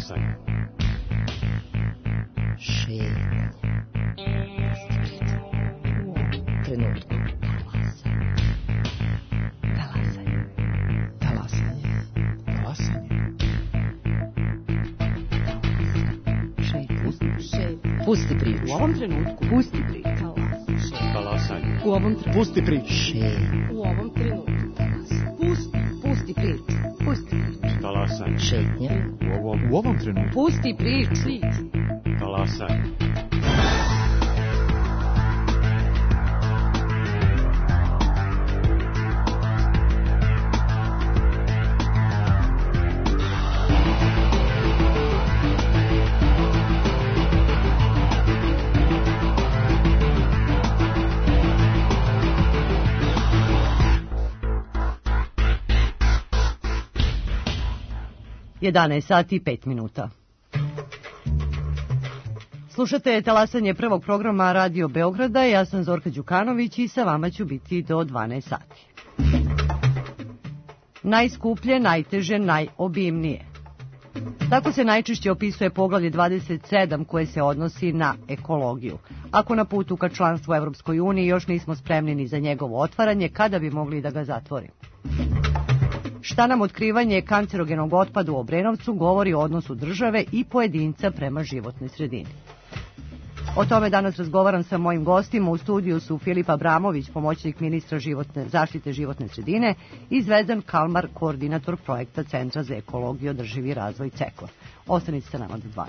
Talasanje. Šetnja. U trenutku. Talasanje. Talasanje. Pusti priču. U ovom trenutku. Pusti priču. Talasanje. U ovom trenutku. Pusti priču. U ovom trenutku. Pusti priču. Pusti priču. Talasanje. Šetnja. U ovom trenutku. Pusti priču. Talasanje. Sati 5 minuta. Slušate talasanje prvog programa Radio Beograda, ja sam Zorka Đukanović i sa vama ću biti do 12 sati. Najskuplje, najteže, najobimnije. Tako se najčešće opisuje poglavlje 27 koje se odnosi na ekologiju. Ako na putu ka članstvu Evropskoj uniji još nismo spremni ni za njegovo otvaranje, kada bi mogli da ga zatvorimo? Šta nam otkrivanje kancerogenog otpada u Obrenovcu govori o odnosu države i pojedinca prema životnoj sredini? O tome danas razgovaram sa mojim gostima. U studiju su Filip Abramović, pomoćnik ministra zaštite životne sredine, i Zvezdan Kalmar, koordinator projekta Centra za ekologiju i održivi razvoj CEKOR. Ostanite sa nama do 12.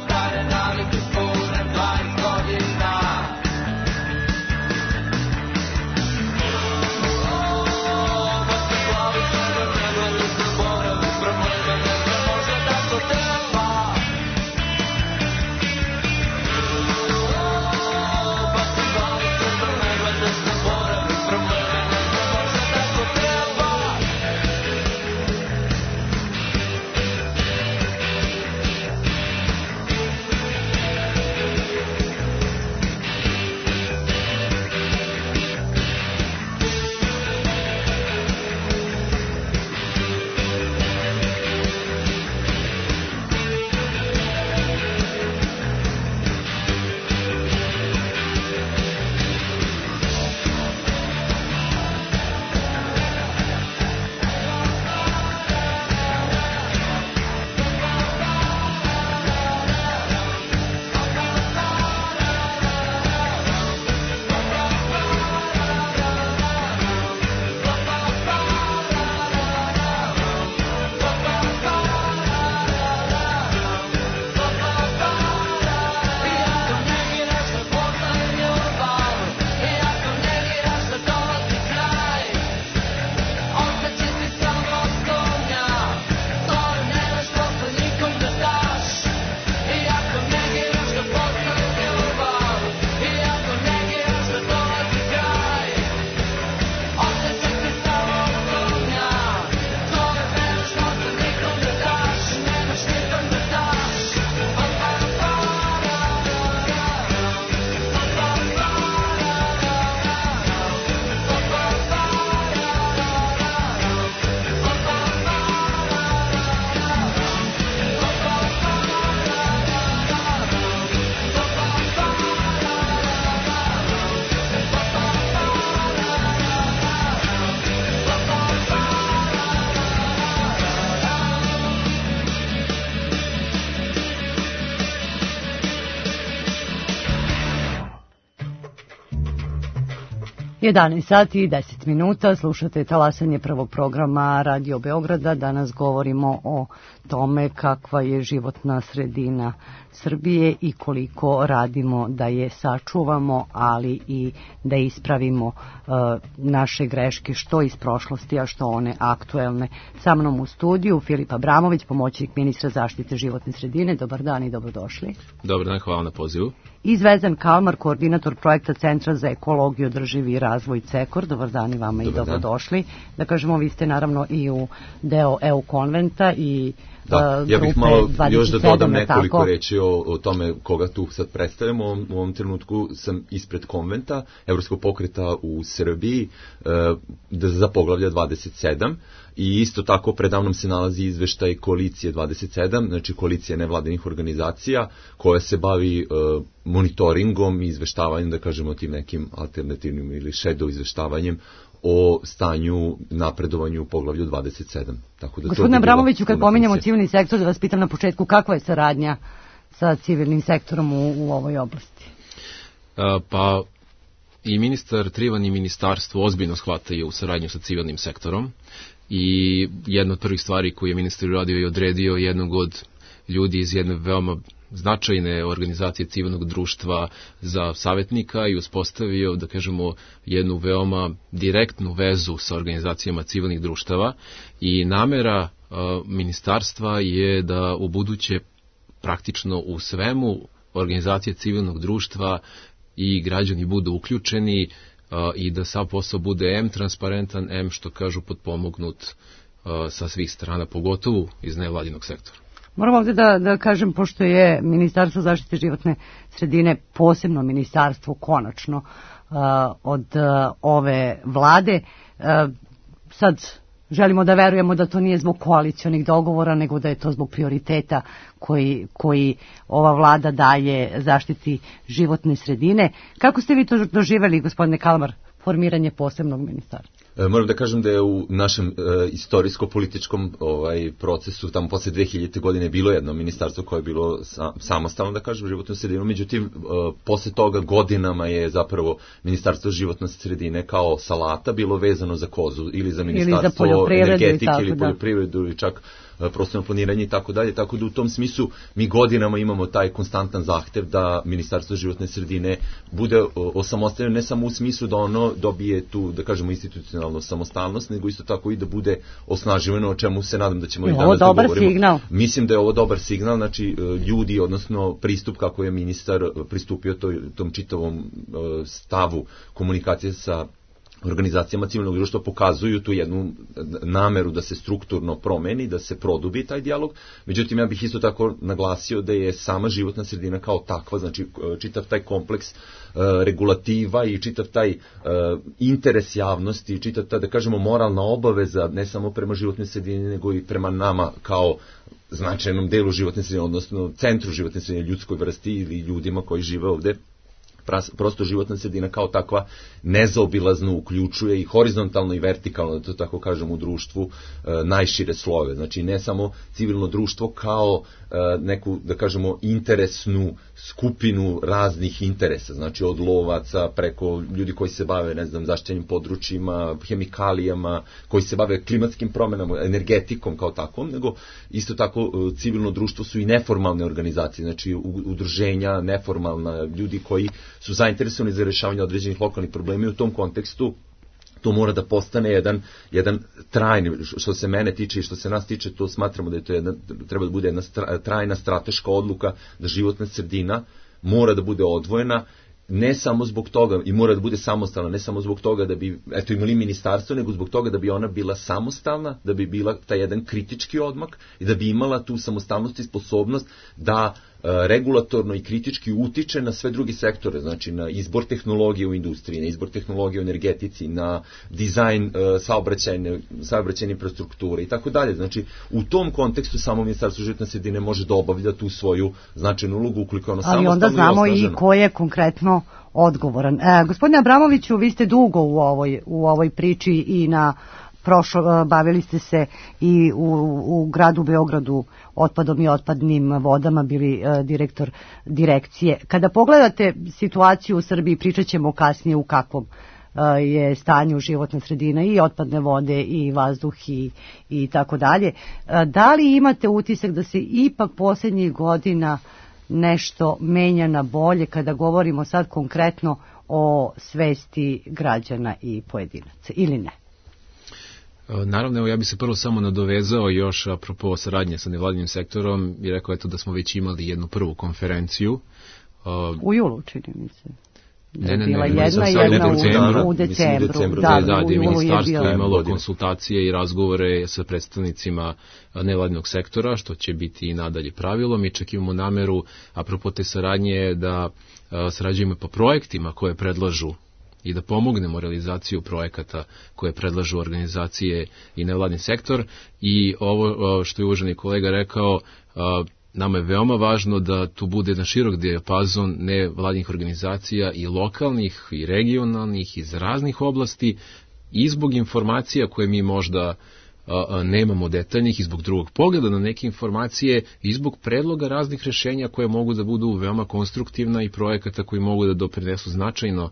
Stare navike spune 20 godina. 11 sati i 10 minuta, slušate talasanje prvog programa Radio Beograda. Danas govorimo o tome kakva je životna sredina Srbije i koliko radimo da je sačuvamo, ali i da ispravimo naše greške, što iz prošlosti, a što one aktuelne. Sa mnom u studiju Filip Abramović, pomoćnik ministra zaštite životne sredine. Dobar dan i dobrodošli. Dobar dan, hvala na pozivu. I Zvezdan Kalmar, koordinator projekta Centra za ekologiju, održivi razvoj CEKOR. Dobar dan i vama. Dobar i dobrodošli. Da kažemo, vi ste naravno i u deo EU konventa i da, ja bih malo još da dodam nekoliko reći o tome koga tu sad predstavljamo. U ovom trenutku sam ispred konventa Evropskog pokreta u Srbiji za poglavlja 27 i isto tako predavnom se nalazi izveštaj Koalicije 27, znači koalicija nevladinih organizacija koja se bavi monitoringom i izveštavanjem, da kažemo, tim nekim alternativnim ili shadow izveštavanjem o stanju, napredovanju u poglavlju 27. Tako da Gospodine Abramoviću, kad pominjamo civilni sektor, da vas pitam na početku, kakva je saradnja sa civilnim sektorom u ovoj oblasti? Pa i ministar Trivan i ministarstvo ozbiljno shvataju u saradnju sa civilnim sektorom i jedna od prvih stvari koju je ministar uradio i odredio jednog od ljudi iz jedne veoma značajne organizacije civilnog društva za savjetnika i uspostavio, da kažemo, jednu veoma direktnu vezu sa organizacijama civilnih društava i namera ministarstva je da u buduće praktično u svemu organizacije civilnog društva i građani budu uključeni i da sav posao bude M transparentan, M što kažu potpomognut sa svih strana, pogotovo iz nevladinog sektora. Moram ovdje da kažem, pošto je Ministarstvo zaštite životne sredine posebno ministarstvo konačno od ove vlade, sad želimo da verujemo da to nije zbog koalicionih dogovora, nego da je to zbog prioriteta koji ova vlada daje zaštiti životne sredine. Kako ste vi to doživjeli, gospodine Kalmar, formiranje posebnog ministarstva? Moram da kažem da je u našem istorijsko-političkom procesu tamo posle 2000. godine bilo jedno ministarstvo koje je bilo samostalno, da kažem, životnu sredinu, međutim posle toga godinama je zapravo ministarstvo životne sredine kao salata bilo vezano za kozu ili za ministarstvo energetike ili poljoprivredu ili čak prostorno planiranje i tako dalje, tako da u tom smislu mi godinama imamo taj konstantan zahtev da ministarstvo životne sredine bude osamostaljeno, ne samo u smislu da ono dobije tu, da kažemo, institucionalnu samostalnost, nego isto tako i da bude osnaživano, o čemu se nadam da ćemo i danas da govorimo. Signal. Mislim da je ovo dobar signal, znači ljudi, odnosno pristup kako je ministar pristupio tom čitavom stavu komunikacije sa organizacijama civilnog društva pokazuju tu jednu nameru da se strukturno promeni, da se produbi taj dijalog. Međutim, ja bih isto tako naglasio da je sama životna sredina kao takva, znači čitav taj kompleks regulativa i čitav taj interes javnosti i čitav ta, da kažemo, moralna obaveza ne samo prema životnoj sredini, nego i prema nama kao značajnom delu životne sredine, odnosno centru životne sredine, ljudskoj vrsti ili ljudima koji žive ovde. Prosto životna sredina kao takva nezaobilazno uključuje i horizontalno i vertikalno, da to tako kažem, u društvu najšire slojeve. Znači ne samo civilno društvo kao neku, da kažemo, interesnu skupinu raznih interesa, znači od lovaca preko ljudi koji se bave, ne znam, zaštićenim područjima, hemikalijama, koji se bave klimatskim promenama, energetikom kao takvom, nego isto tako civilno društvo su i neformalne organizacije, znači udruženja, neformalna, ljudi koji su zainteresovani za rješavanje određenih lokalnih problema i u tom kontekstu to mora da postane jedan trajni, što se mene tiče i što se nas tiče, to smatramo da je to treba da bude jedna trajna strateška odluka da životna sredina mora da bude odvojena, ne samo zbog toga, i mora da bude samostalna, ne samo zbog toga da bi imali ministarstvo, nego zbog toga da bi ona bila samostalna, da bi bila taj jedan kritički odmak i da bi imala tu samostalnost i sposobnost da regulatorno i kritički utiče na sve druge sektore, znači na izbor tehnologije u industriji, na izbor tehnologije u energetici, na dizajn saobraćajne infrastrukture i tako dalje. Znači, u tom kontekstu samo Ministarstvo životne sredine može da obavlja tu svoju značajnu ulogu ukoliko ono samostalno i osnaženo. Ali onda znamo i ko je konkretno odgovoran. Gospodine Abramoviću, vi ste dugo u ovoj priči i bavili ste se i u gradu Beogradu otpadom i otpadnim vodama, bili direktor direkcije. Kada pogledate situaciju u Srbiji, pričat ćemo kasnije u kakvom je stanje u životnoj sredini i otpadne vode i vazduh i tako dalje. Da li imate utisak da se ipak posljednjih godina nešto menja na bolje kada govorimo sad konkretno o svesti građana i pojedinaca ili ne? Naravno, evo ja bih se prvo samo nadovezao još apropo saradnje sa nevladinim sektorom i rekao da smo već imali jednu prvu konferenciju. U julu, čini mi se. Ne, bila jedna u decembru. Da, gdje je ministarstvo imalo konsultacije i razgovore sa predstavnicima nevladinog sektora, što će biti i nadalje pravilo. Mi čak imamo nameru, apropo te saradnje, da sarađujemo po projektima koje predlažu i da pomognemo realizaciju projekata koje predlažu organizacije i nevladni sektor. I ovo što je uvaženi kolega rekao, nama je veoma važno da tu bude jedan širok dijapazon nevladnih organizacija i lokalnih i regionalnih iz raznih oblasti i zbog informacija koje mi možda nemamo detaljnih i zbog drugog pogleda na neke informacije i zbog predloga raznih rješenja koje mogu da budu veoma konstruktivna i projekata koji mogu da doprinesu značajno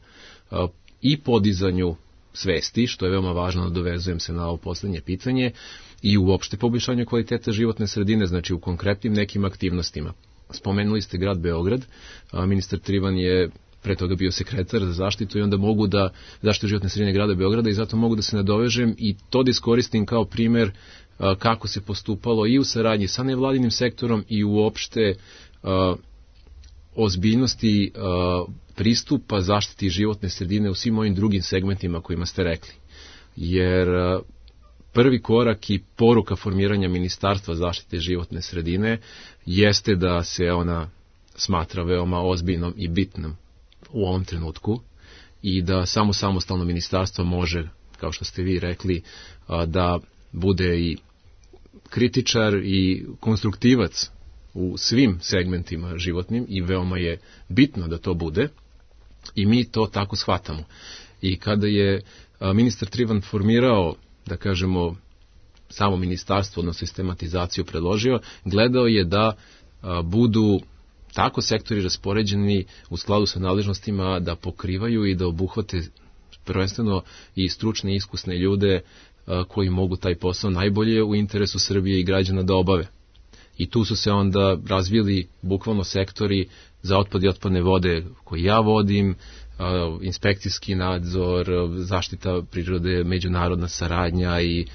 i podizanju svesti, što je veoma važno, dovezujem se na ovo poslednje pitanje, i uopšte poboljšanju kvaliteta životne sredine, znači u konkretnim nekim aktivnostima. Spomenuli ste grad Beograd, ministar Trivan je pre toga bio sekretar za zaštitu i onda mogu da zaštitu životne sredine grada Beograda i zato mogu da se nadovežem i to da iskoristim kao primer kako se postupalo i u saradnji sa nevladinim sektorom i uopšte ozbiljnosti pristupa zaštiti životne sredine u svim ovim drugim segmentima kojima ste rekli. Jer prvi korak i poruka formiranja Ministarstva zaštite životne sredine jeste da se ona smatra veoma ozbiljnom i bitnom u ovom trenutku i da samo samostalno ministarstvo može, kao što ste vi rekli, da bude i kritičar i konstruktivac u svim segmentima životnim i veoma je bitno da to bude i mi to tako shvatamo. I kada je ministar Trivan formirao, da kažemo, samo ministarstvo, odnosno sistematizaciju predložio, gledao je da budu tako sektori raspoređeni u skladu sa nadležnostima da pokrivaju i da obuhvate prvenstveno i stručne i iskusne ljude koji mogu taj posao najbolje u interesu Srbije i građana da obave. I tu su se onda razvili bukvalno sektori za otpad i otpadne vode koji ja vodim, inspekcijski nadzor, zaštita prirode, međunarodna saradnja i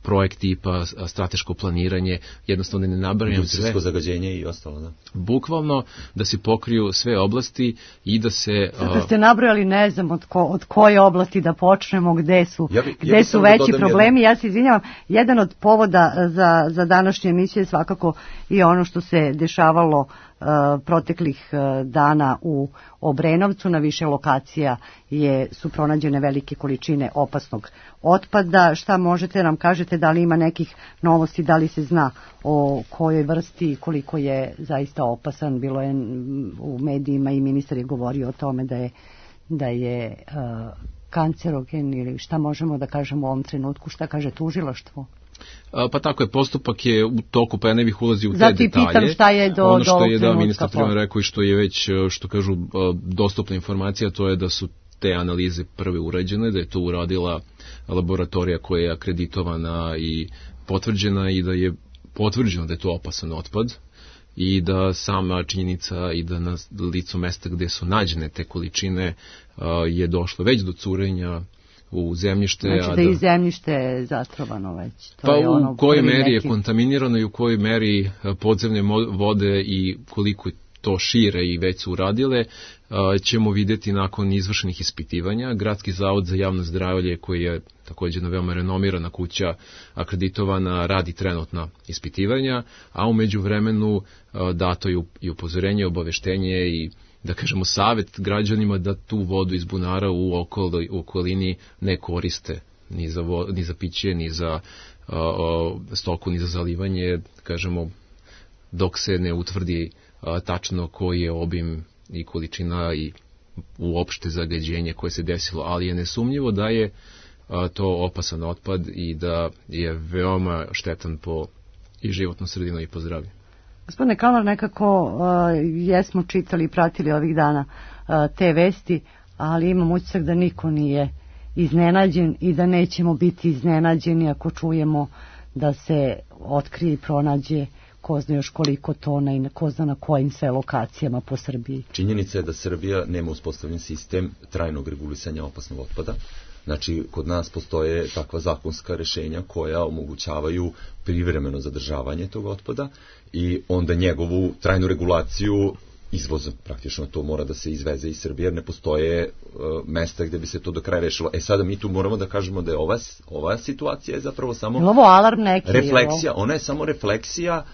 projekt tipa strateško planiranje, jednostavno ne nabrajam sve. Industrijsko zagađenje i ostalo, da. Bukvalno da se pokriju sve oblasti i da se... Da ste nabrojali, ne znam od koje oblasti da počnemo, gde su veći problemi. Ja se izvinjavam, jedan od povoda za današnju emisiju je svakako i ono što se dešavalo proteklih dana u Obrenovcu. Na više lokacija su pronađene velike količine opasnog otpada. Šta možete nam kažete, da li ima nekih novosti, da li se zna o kojoj vrsti i koliko je zaista opasan? Bilo je u medijima i ministar je govorio o tome da je kancerogen, ili šta možemo da kažemo u ovom trenutku, šta kaže tužilaštvo? Pa tako je, postupak je u toku, pa ja ne bih ulazio u te detalje. Zato i pitam šta je do ono što ovog je trenutka. Ministar Trivan rekao i što je već, što kažu, dostupna informacija, to je da su te analize prve urađene, da je to uradila laboratorija koja je akreditovana i potvrđena i da je potvrđeno da je to opasan otpad i da sama činjenica i da na licu mesta gde su nađene te količine je došlo već do curenja u zemljište. Znači da i zemljište je zatrovano već. To pa je ono u kojoj meri je kontaminirano i u kojoj meri podzemne vode i koliko to šire i već su uradile, ćemo vidjeti nakon izvršenih ispitivanja. Gradski zavod za javno zdravlje, koji je također jedna veoma renomirana kuća, akreditovana, radi trenutna ispitivanja, a u međuvremenu dato je i upozorenje, obaveštenje i, da kažemo, savjet građanima da tu vodu iz bunara u okolini ne koriste ni za piće, ni za stoku, ni za zalivanje, kažemo, dok se ne utvrdi tačno koji je obim i količina i uopšte zagađenje koje se desilo, ali je nesumnjivo da je to opasan otpad i da je veoma štetan po i životnu sredinu i po zdravlje. Gospodine Kalmar, nekako jesmo čitali i pratili ovih dana te vesti, ali imam utisak da niko nije iznenađen i da nećemo biti iznenađeni ako čujemo da se otkrije i pronađe ko zna još koliko tona i ko zna na kojim sve lokacijama po Srbiji. Činjenica je da Srbija nema uspostavljen sistem trajnog regulisanja opasnog otpada. Znači, kod nas postoje takva zakonska rešenja koja omogućavaju privremeno zadržavanje tog otpada i onda njegovu trajnu regulaciju izvoza. Praktično to mora da se izveze iz Srbije, jer ne postoje mesta gde bi se to do kraja rešilo. Sada mi tu moramo da kažemo da je ova situacija je zapravo samo ovo alarm neki, refleksija. Ona je samo refleksija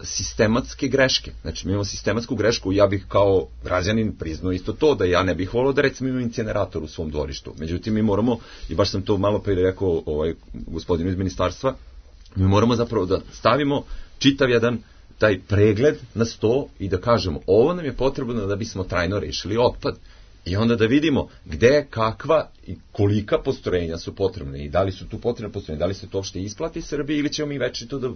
sistematske greške. Znači, mi imamo sistematsku grešku, ja bih kao građanin priznao isto to, da ja ne bih volio da recimo imam incinerator u svom dvorištu. Međutim, mi moramo, i baš sam to malo pre rekao gospodinu iz ministarstva, mi moramo zapravo da stavimo čitav jedan taj pregled na sto i da kažemo ovo nam je potrebno da bismo trajno rešili otpad. I onda da vidimo gde, kakva i kolika postrojenja su potrebne i da li su tu potrebne postrojenja, da li se to uopšte isplati Srbiji ili ćemo mi večito da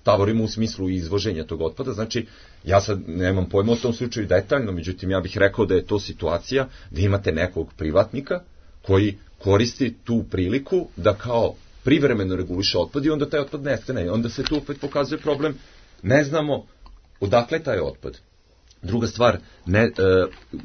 tavorimo u smislu izvoženja tog otpada. Znači, ja sad nemam pojma o tom slučaju detaljno, međutim ja bih rekao da je to situacija da imate nekog privatnika koji koristi tu priliku da kao privremeno reguliše otpad i onda taj otpad nestane. I onda se tu opet pokazuje problem, ne znamo odakle taj otpad. Druga stvar,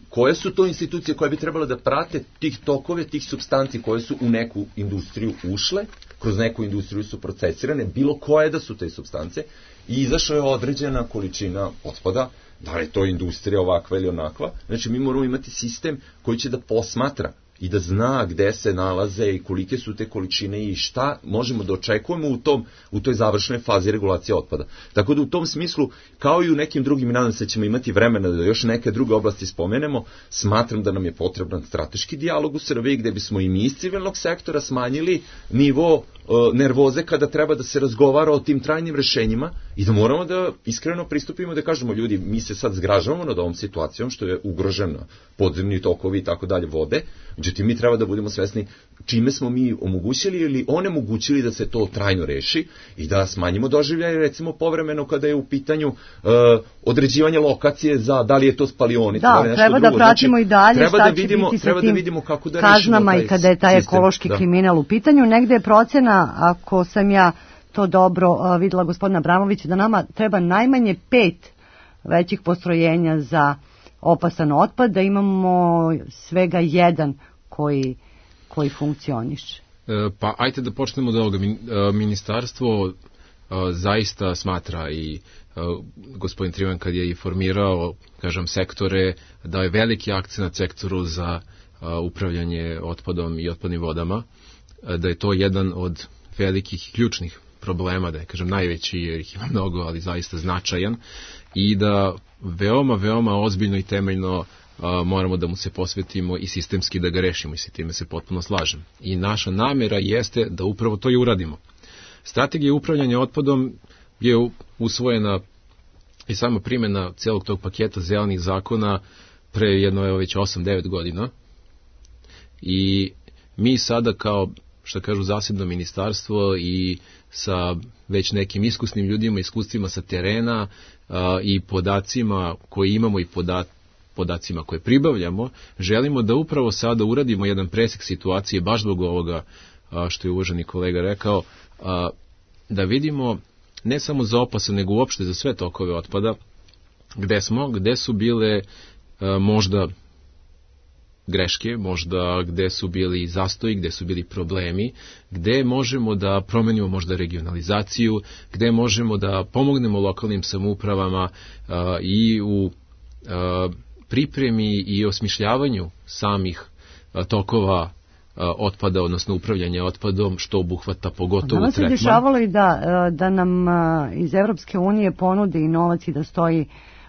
koje su to institucije koje bi trebalo da prate tih tokove, tih supstanci koje su u neku industriju ušle, kroz neku industriju su procesirane, bilo koje da su te supstance, i izašla je određena količina otpada, da li je to industrija ovakva ili onakva. Znači, mi moramo imati sistem koji će da posmatra i da zna gde se nalaze i kolike su te količine i šta možemo da očekujemo u toj završnoj fazi regulacije otpada. Tako da u tom smislu, kao i u nekim drugim, nadam se ćemo imati vremena da još neke druge oblasti spomenemo, smatram da nam je potreban strateški dijalog u Srbiji gde bismo i mi iz civilnog sektora smanjili nivo nervoze kada treba da se razgovara o tim trajnim rešenjima i da moramo da iskreno pristupimo da kažemo ljudi, mi se sad zgražavamo nad ovom situacijom što je ugrožena podzemni tokovi i tako dalje vode, međutim mi treba da budemo svesni čime smo mi omogućili ili onemogućili da se to trajno reši i da smanjimo doživljaje recimo povremeno kada je u pitanju određivanje lokacije za da li je to spalionica, da li nešto treba drugo. Da pratimo i dalje šta će biti sa tim vidimo kako da kaznama i kada je taj ekološki kriminal u pitanju. Negde je procena, ako sam ja to dobro videla gospodina Abramovića, da nama treba najmanje 5 većih postrojenja za opasan otpad, da imamo svega 1 koji funkcioniše. Pa ajte da počnemo od ovoga. Ministarstvo zaista smatra i gospodin Trivan kad je i formirao, kažem, sektore, da je veliki akcenat sektoru za upravljanje otpadom i otpadnim vodama, da je to jedan od velikih ključnih problema, da je, kažem, najveći, jer ih ima mnogo, ali zaista značajan, i da veoma ozbiljno i temeljno moramo da mu se posvetimo i sistemski da ga rešimo, i s time se potpuno slažem. I naša namera jeste da upravo to i uradimo. Strategija upravljanja otpadom je usvojena i sama primjena celog tog paketa zelenih zakona pre već 8-9 godina i mi sada kao, što kažu, zasebno ministarstvo i sa već nekim iskusnim ljudima, iskustvima sa terena i podacima koje imamo i podacima koje pribavljamo, želimo da upravo sada uradimo jedan presek situacije, baš zbog ovoga što je uvaženi kolega rekao, da vidimo ne samo za opasan, nego uopšte za sve tokove otpada, gde su bile možda greške, možda gde su bili zastoji, gde su bili problemi, gde možemo da promenimo možda regionalizaciju, gde možemo da pomognemo lokalnim samoupravama i u pripremi i osmišljavanju samih tokova otpada, odnosno upravljanja otpadom, što obuhvata pogotovo tretman. Nama se dešavalo i da nam iz Evropske unije ponude i novac i da stoji,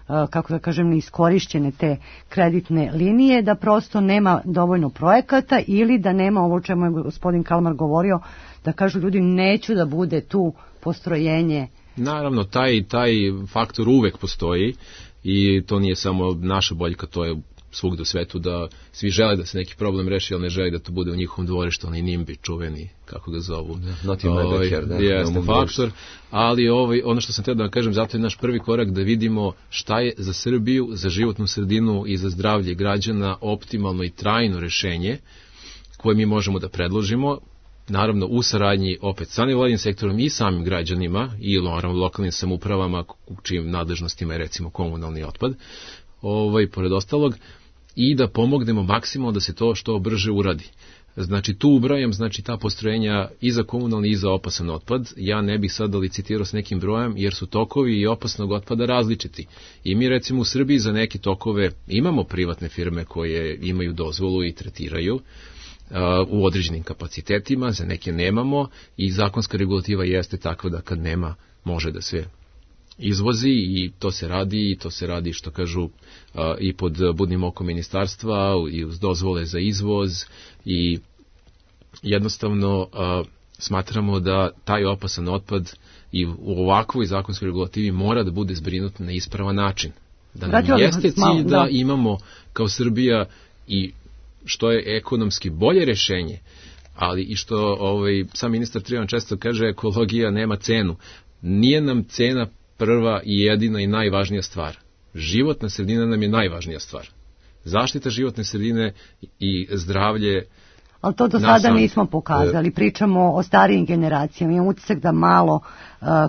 kako da kažem, neiskorišćene te kreditne linije, da prosto nema dovoljno projekata ili da nema ovo o čemu je gospodin Kalmar govorio, da kažu ljudi neću da bude tu postrojenje. Naravno, taj faktor uvek postoji i to nije samo naša boljka, to je svugde u svetu da svi žele da se neki problem reši, ali ne žele da to bude u njihovom dvorištu, onaj NIMBY čuveni, kako ga zovu. Not in my backyard. Jeste faktor, ali ono što sam htio da vam kažem, zato je naš prvi korak da vidimo šta je za Srbiju, za životnu sredinu i za zdravlje građana optimalno i trajno rešenje koje mi možemo da predložimo, naravno u saradnji opet sa nevladinim sektorom i samim građanima i lokalnim samoupravama u čijim nadležnostima je recimo komunalni otpad, pored ostalog, i da pomognemo maksimalno da se to što brže uradi. Znači tu ubrajam, znači ta postrojenja i za komunalni i za opasan otpad. Ja ne bih sada licitirao s nekim brojem jer su tokovi i opasnog otpada različiti. I mi recimo u Srbiji za neke tokove imamo privatne firme koje imaju dozvolu i tretiraju u određenim kapacitetima, za neke nemamo i zakonska regulativa jeste takva da kad nema može da se izvozi i to se radi što kažu i pod budnim okom ministarstva i uz dozvole za izvoz i jednostavno smatramo da taj opasan otpad i u ovakvoj zakonskoj regulativi mora da bude zbrinut na ispravan način. Da nam jeste cilj da imamo kao Srbija i što je ekonomski bolje rešenje, ali i što sam ministar Trivan često kaže, ekologija nema cenu. Nije nam cena prva i jedina i najvažnija stvar. Životna sredina nam je najvažnija stvar. Zaštita životne sredine i zdravlje. Ali to do sada nismo pokazali. Pričamo o starijim generacijama. Imam utisak da malo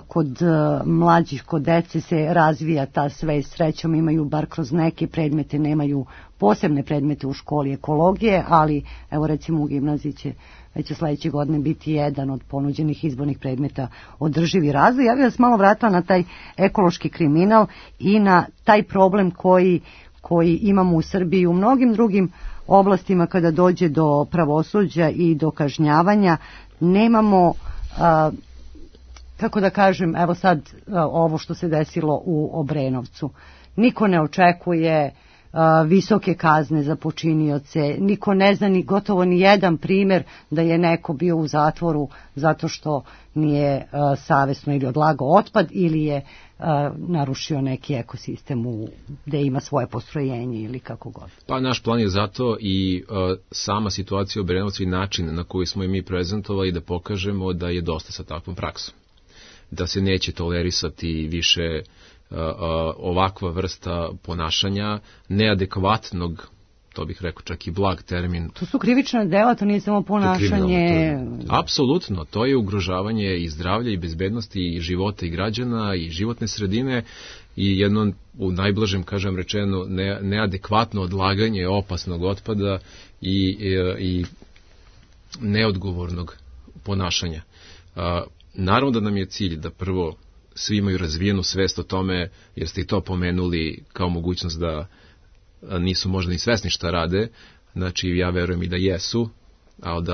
kod mlađih, kod dece se razvija ta svest. Srećom imaju bar kroz neke predmete, nemaju posebne predmete u školi ekologije, ali evo recimo u gimnaziji će već sledeće godine biti jedan od ponuđenih izbornih predmeta održivi razvoj. Ja bih vas malo vratila na taj ekološki kriminal i na taj problem koji imamo u Srbiji i u mnogim drugim oblastima kada dođe do pravosuđa i do kažnjavanja. Nemamo, kako da kažem, evo sad ovo što se desilo u Obrenovcu. Niko ne očekuje visoke kazne za počinioce, niko ne zna ni gotovo ni jedan primjer da je neko bio u zatvoru zato što nije savesno ili odlagao otpad ili je narušio neki ekosistem gde ima svoje postrojenje ili kako god. Pa naš plan je zato i sama situacija u Obrenovcu i način na koji smo i mi prezentovali da pokažemo da je dosta sa takvom praksom. Da se neće tolerisati više ovakva vrsta ponašanja, neadekvatnog, to bih rekao čak i blag termin. To su krivična dela, to nije samo ponašanje. Apsolutno, to je ugrožavanje i zdravlja i bezbednosti i života i građana i životne sredine i jedno, u najblažem kažem rečeno, neadekvatno odlaganje opasnog otpada i neodgovornog ponašanja. Naravno da nam je cilj da prvo svi imaju razvijenu svest o tome, jer ste i to pomenuli kao mogućnost da nisu možda ni svesni šta rade, znači ja verujem i da jesu, ali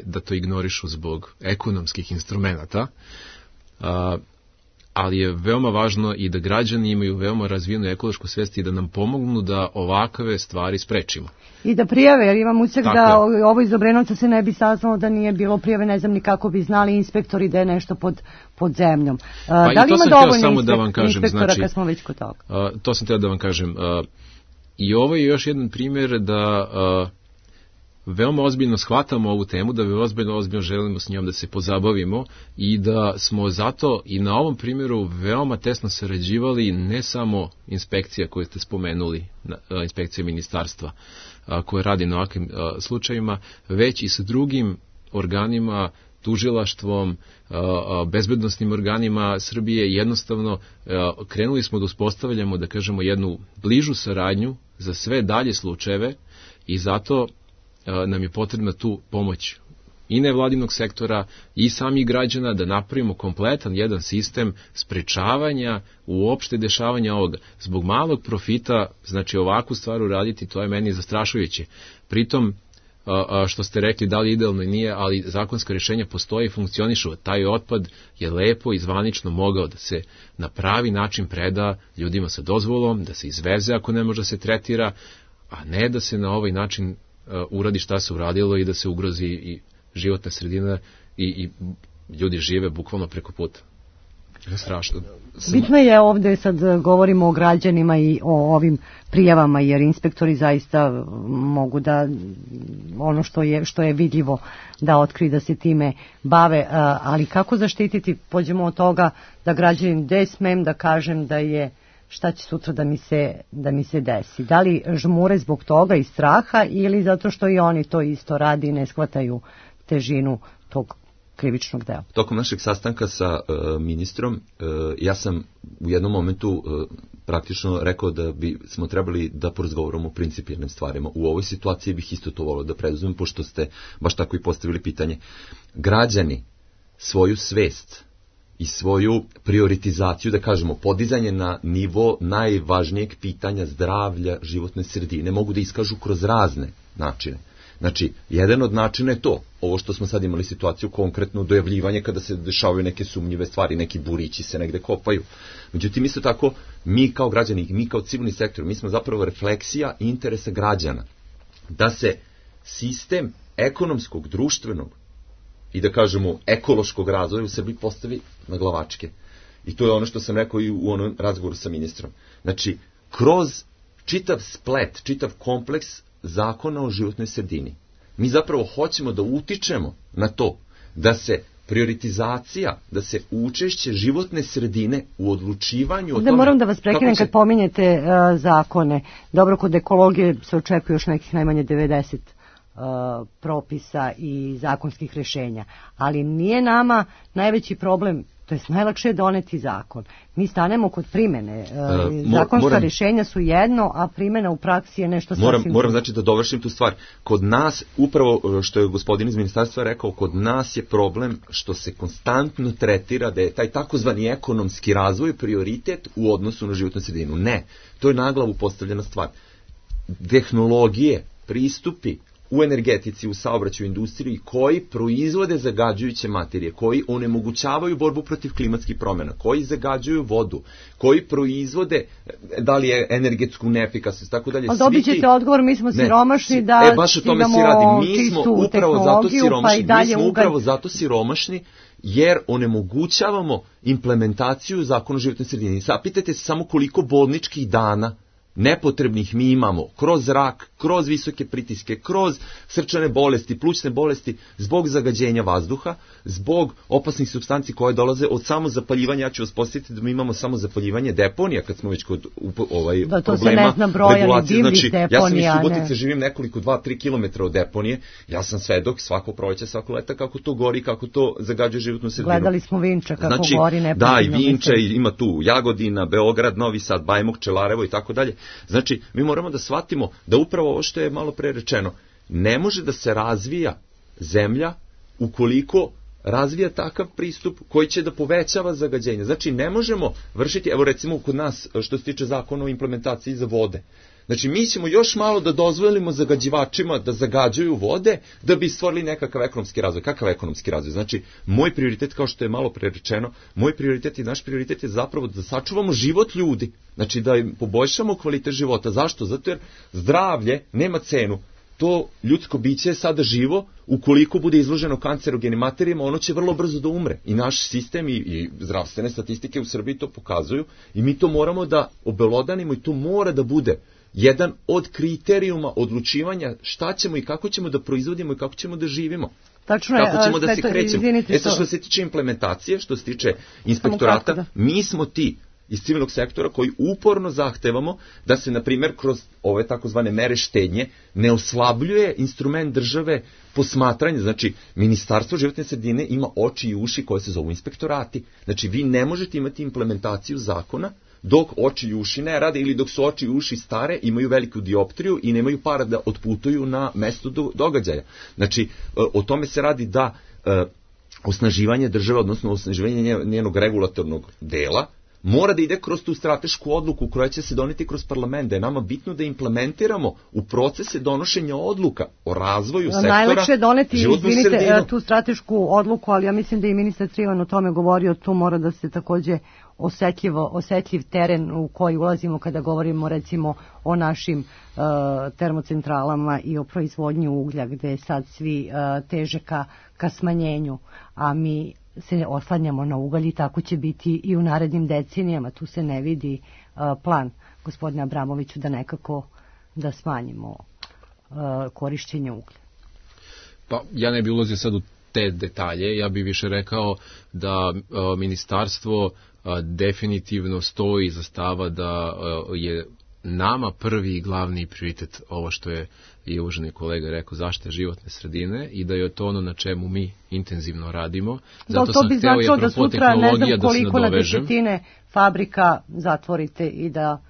da to ignorišu zbog ekonomskih instrumenata, ali je veoma važno i da građani imaju veoma razvijenu ekološku svest i da nam pomognu da ovakve stvari sprečimo. I da prijave, jer imam utisak da ovo iz Obrenovca se ne bi saznalo da nije bilo prijave, ne znam ni kako bi znali inspektori da je nešto pod zemljom. Pa da li ima dovoljno inspektora znači, kad smo već kod toga? To sam htio da vam kažem. I ovo je još jedan primjer da veoma ozbiljno shvatamo ovu temu, da ozbiljno želimo s njom da se pozabavimo i da smo zato i na ovom primjeru veoma tesno sarađivali ne samo inspekcija koju ste spomenuli, inspekcija ministarstva koja radi na ovakvim slučajima, već i sa drugim organima, tužilaštvom, bezbednosnim organima Srbije. Jednostavno krenuli smo da uspostavljamo, da kažemo, jednu bližu saradnju za sve dalje slučajeve i zato nam je potrebna tu pomoć i nevladinog sektora i samih građana da napravimo kompletan jedan sistem sprečavanja uopšte dešavanja ovoga. Zbog malog profita, znači ovakvu stvar uraditi, to je meni zastrašujuće. Pritom, što ste rekli, da li idealno i nije, ali zakonska rješenja postoje i funkcionišu. Taj otpad je lepo i zvanično mogao da se na pravi način preda ljudima sa dozvolom, da se izveze ako ne može da se tretira, a ne da se na ovaj način uradi šta se uradilo i da se ugrozi i životna sredina i ljudi žive bukvalno preko puta. Strašno. Bitno je ovdje, sad govorimo o građanima i o ovim prijavama, jer inspektori zaista mogu da ono što je vidljivo da otkriju, da se time bave, ali kako zaštititi, pođemo od toga da građanin, gde smem da kažem da je, šta će sutra da mi se desi, da li žmure zbog toga i straha ili zato što i oni to isto radi i ne shvataju težinu tog krivičnog dela. Tokom našeg sastanka sa ministrom, ja sam u jednom momentu praktično rekao da bi smo trebali da porazgovaramo o principijelnim stvarima. U ovoj situaciji bih isto to volio da preduzmem, pošto ste baš tako i postavili pitanje. Građani svoju svest i svoju prioritizaciju, da kažemo, podizanje na nivo najvažnijeg pitanja zdravlja životne sredine mogu da iskažu kroz razne načine. Znači, jedan od načina je to, ovo što smo sad imali situaciju, konkretno dojavljivanje kada se dešavaju neke sumnjive stvari, neki burići se negde kopaju. Međutim, isto tako, mi kao građani, mi kao civilni sektor, mi smo zapravo refleksija interesa građana. Da se sistem ekonomskog, društvenog i da kažemo ekološkog razvoja u Srbiji postavi na glavačke. I to je ono što sam rekao i u onom razgovoru sa ministrom. Znači, kroz čitav splet, čitav kompleks zakona o životnoj sredini, mi zapravo hoćemo da utičemo na to da se prioritizacija, da se učešće životne sredine u odlučivanju o tome... Moram da vas prekinem kad pominjete zakone. Dobro, kod ekologije se očekuje još nekih najmanje 90 propisa i zakonskih rešenja. Ali nije nama najveći problem, to je najlakše doneti zakon. Mi stanemo kod primene. Zakonska rješenja su jedno, a primena u praksi je nešto sasvim... Moram znači da dovršim tu stvar. Kod nas, upravo što je gospodin iz ministarstva rekao, kod nas je problem što se konstantno tretira da je taj takozvani ekonomski razvoj prioritet u odnosu na životnu sredinu. Ne, to je na glavu postavljena stvar. Tehnologije, pristupi u energetici, u saobraćaju, industriji, koji proizvode zagađujuće materije, koji onemogućavaju borbu protiv klimatskih promjena, koji zagađuju vodu, koji proizvode, da li je energetsku neefikasnost, tako dalje. Ali dobit ćete odgovor, mi smo siromašni da baš o tome se radi. Mi smo upravo zato siromašni, jer onemogućavamo implementaciju zakona o životnoj sredini. Zapitajte se samo koliko bolničkih dana nepotrebnih mi imamo kroz rak, kroz visoke pritiske, kroz srčane bolesti, plućne bolesti, zbog zagađenja vazduha, zbog opasnih supstanci koje dolaze od samozapaljivanja. Ja ću vas posjetiti da mi imamo samozapaljivanje deponija, kad smo već kod problema regulacije. Znači, ja sam iz Subotice, živim nekoliko 2-3 km od deponije, ja sam svedok svako proleće, svako leta kako to gori, kako to zagađuje životnu sredinu. Gledali smo Vinča kako gori nepotrebno. Da, i Vinča, ima tu Jagodina, Beograd, Novi Sad, Bajmok, Čelarevo i tako dalje. Znači, mi moramo da shvatimo da upravo ovo što je malo pre rečeno, ne može da se razvija zemlja ukoliko razvija takav pristup koji će da povećava zagađenje. Znači, ne možemo vršiti, evo recimo kod nas što se tiče zakona o implementaciji za vode. Znači, mi ćemo još malo da dozvolimo zagađivačima da zagađuju vode da bi stvorili nekakav ekonomski razvoj. Kakav ekonomski razvoj? Znači, moj prioritet, kao što je malo pre rečeno, moj prioritet i naš prioritet je zapravo da sačuvamo život ljudi. Znači, da im poboljšamo kvalitet života. Zašto? Zato jer zdravlje nema cenu. To ljudsko biće je sada živo, ukoliko bude izloženo kancerogenim materijama, ono će vrlo brzo da umre. I naš sistem i zdravstvene statistike u Srbiji to pokazuju i mi to moramo da obelodanimo i to mora da bude jedan od kriterijuma odlučivanja šta ćemo i kako ćemo da proizvodimo i kako ćemo da živimo. Tačno kako ćemo da se krećemo. Što se tiče implementacije, što se tiče inspektorata, mi smo ti iz civilnog sektora koji uporno zahtevamo da se, na primjer, kroz ove takozvane mere štednje ne oslabljuje instrument države posmatranja. Znači, Ministarstvo životne sredine ima oči i uši koje se zovu inspektorati. Znači, vi ne možete imati implementaciju zakona dok oči i uši ne rade ili dok su oči i uši stare, imaju veliku dioptriju i nemaju para da otputuju na mesto događaja. Znači, o tome se radi da osnaživanje države, odnosno osnaživanje njenog regulatornog dela, mora da ide kroz tu stratešku odluku koja će se doneti kroz parlament, da je nama bitno da implementiramo u procese donošenja odluka o razvoju sektora. Najlakše je doneti, tu stratešku odluku, ali ja mislim da je i ministar Trivan o tome govorio, tu mora da se takođe osjetljiv teren u koji ulazimo kada govorimo recimo o našim termocentralama i o proizvodnji uglja, gde sad svi teže ka smanjenju, a mi se oslanjamo na ugalj i tako će biti i u narednim decenijama. Tu se ne vidi plan gospodina Abramoviću da nekako da smanjimo korišćenje uglja. Pa ja ne bih ulazio sad u te detalje, ja bih više rekao da ministarstvo definitivno stoji iza stava da je nama prvi i glavni prioritet ovo što je i uvaženi kolega rekao, zaštita životne sredine i da je to ono na čemu mi intenzivno radimo. Zato to bi značilo da sutra ne znam koliko na desetine fabrika zatvorite i da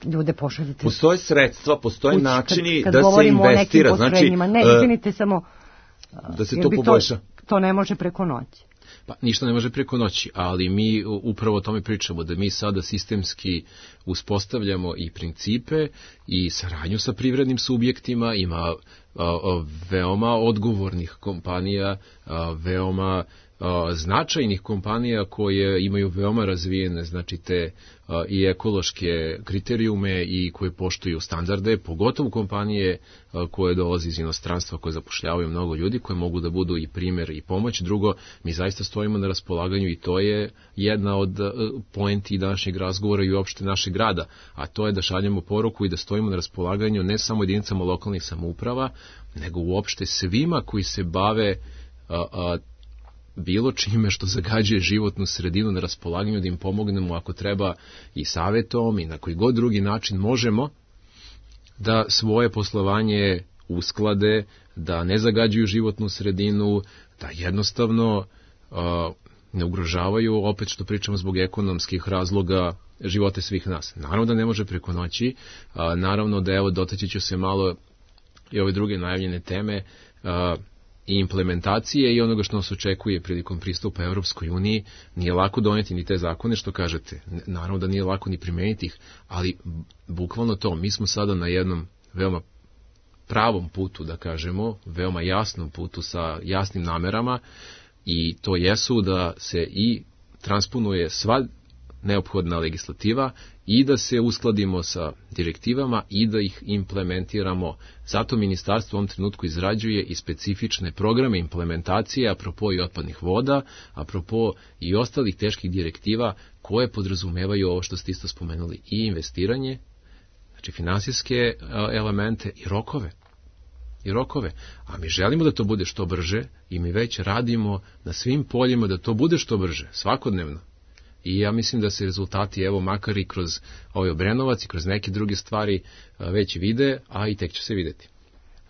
ljude pošaljete. Postoje sredstva, postoje načini da se investira. Znači, ne, izvinite samo, da se to poboljša. To ne može preko noći. Pa ništa ne može preko noći, ali mi upravo o tome pričamo, da mi sada sistemski uspostavljamo i principe i saradnju sa privrednim subjektima, ima veoma odgovornih kompanija, veoma značajnih kompanija koje imaju veoma razvijene, znači te i ekološke kriterijume i koje poštuju standarde, pogotovo kompanije koje dolaze iz inostranstva, koje zapošljavaju mnogo ljudi, koje mogu da budu i primjer i pomoć. Drugo, mi zaista stojimo na raspolaganju i to je jedna od poenti današnjeg razgovora i uopšte našeg grada, a to je da šaljemo poruku i da stojimo na raspolaganju ne samo jedinicama lokalnih samouprava, nego uopšte svima koji se bave bilo čime što zagađuje životnu sredinu, na raspolaganju da im pomognemo ako treba i savjetom i na koji god drugi način možemo da svoje poslovanje usklade, da ne zagađuju životnu sredinu, da jednostavno ne ugrožavaju, opet što pričamo zbog ekonomskih razloga, živote svih nas. Naravno da ne može preko noći, naravno da evo dotaći ću se malo i ove druge najavljene teme, i implementacije i onoga što nas očekuje prilikom pristupa Evropskoj uniji. Nije lako doneti ni te zakone što kažete. Naravno da nije lako ni primeniti ih, ali bukvalno to. Mi smo sada na jednom veoma pravom putu, da kažemo, veoma jasnom putu sa jasnim namerama i to jesu da se i transponuje sva neophodna legislativa i da se uskladimo sa direktivama i da ih implementiramo. Zato ministarstvo u ovom trenutku izrađuje i specifične programe implementacije apropo i otpadnih voda, apropo i ostalih teških direktiva koje podrazumevaju ovo što ste isto spomenuli i investiranje, znači finansijske elemente i rokove. A mi želimo da to bude što brže i mi već radimo na svim poljima da to bude što brže, svakodnevno. I ja mislim da se rezultati, evo, makar i kroz ovaj Obrenovac i kroz neke druge stvari već vide, a i tek će se videti.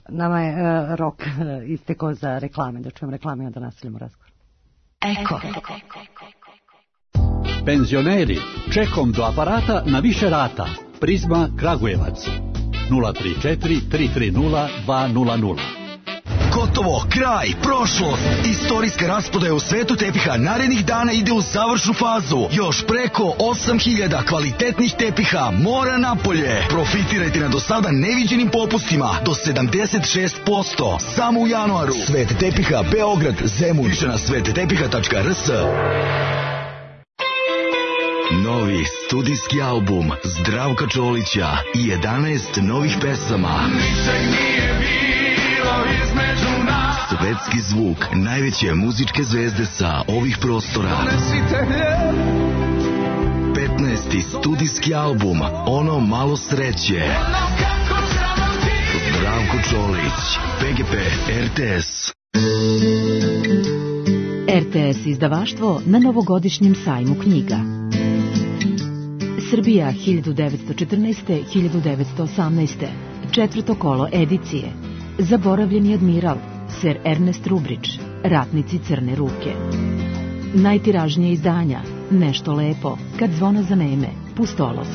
Nama je rok istekao za reklame, da čujem reklame, da nastavljamo razgovor. Eko. Penzioneri, čekom do aparata na više rata. Prizma Kragujevac. 034 330 200. Gotovo, kraj, prošlost. Istorijska rasprodaja u svetu tepiha narednih dana ide u završnu fazu. Još preko 8000 kvalitetnih tepiha mora napolje. Profitirajte na do sada neviđenim popustima do 76%. Samo u januaru. Svet tepiha Beograd, Zemun. Više na svettepiha.rs. Novi studijski album Zdravka Čolića i 11 novih pesama. Svetski zvuk najveće muzičke zvezde sa ovih prostora. 15. studijski album Ono malo sreće. Zdravko Čolić, PGP RTS. RTS izdavaštvo na novogodišnjem sajmu knjiga. Srbija 1914-1918. Četvrto kolo edicije. Zaboravljeni admiral, Sir Ernest Rubrić, Ratnici crne ruke. Najtiražnije izdanja, Nešto lepo, Kad zvona zaneme, Pustolov.